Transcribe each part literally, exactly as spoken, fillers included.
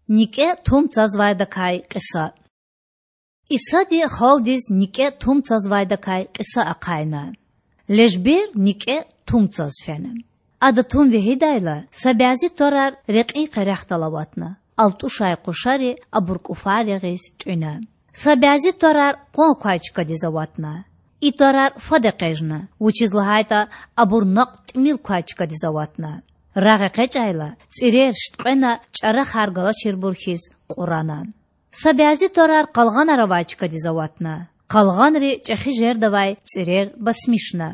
НикӀе тум цазвайдакай кьиса. Исади халкьдиз никӀе тум цазвайдакай кьиса ахъайна. Лежбер никӀе тум цаз фена. Ада тум вегьидайла, са бязи тварар рекьин къерехдал аватна, алтӀушай къушари абур кӀуфар ягъиз тӀуьна. Са бязи тварар къван квай чкадиз аватна. И тварар фад экъечӀна, вучиз лагьайтӀа абур накьв тӀимил квай чкадиз аватна. Рагъ экъечӀайла, цӀирер шткьвена, чӀарахар галачирбур хьиз кьурана. Са бязи тварар къалгъанар авай чкадиз аватна. Къалгъанри чӀехи жердавай цӀирер басмишна.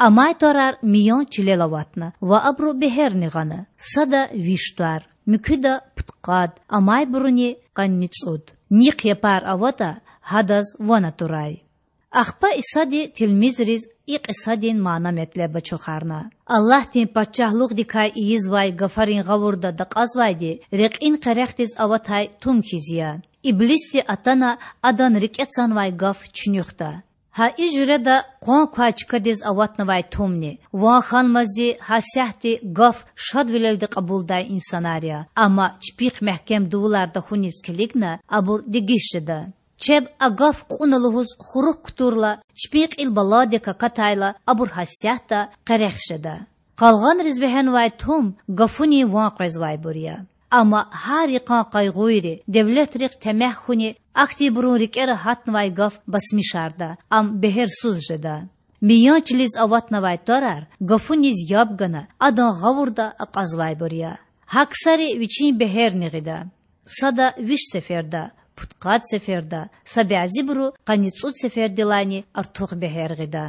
Амай тварар миян чилел аватна ва абуру бегьерни гъана: сада виш твар, муькуьда пудкъад, амайбуруни къанницӀуд. Нихъ япар аватӀа, гьадаз ван атурай. Ахпа Исади тилмизриз и кьисадин мана-метлеб ачухарна: Аллагьдин Пачагьлугъдикай ийизвай гафарин гъавурда дакьазвайди рекьин къерехдиз аватай тум хьиз я. Иблисди атана адан рикӀе цанвай гаф чуьнуьхда. Гьа и жуьреда къван квай чкадиз аватнавай тумни, ван хьанмазди гьасятда гаф шадвилелди кьабулдай инсанар я, амма чпихъ мягькем дувуларда хьуниз килигна, абур дегиш жеда. Чеб а гаф кьуна лугьуз хурук кутурла, чпин кьил баладик акатайла, абур гьасятда къерех жеда. Къалгъанриз вегьенвай тум гафунин ван къвезвайбур я. Амма гьар йикъан къайгъуйри, девлетрихъ темягь хьуни ахьтинбурун рикӀера гьатнавай гаф басмишарда, ам бегьерсуз жеда. Миян чилиз аватнавай тварар гафуниз яб гана, адан гъавурда акьазвайбур я. Гьа ксари вичин бегьерни гъида: сада виш сеферда, пудкъад сеферда, са бязибуру къанницӀуд сефердилайни артух бегьер гъида.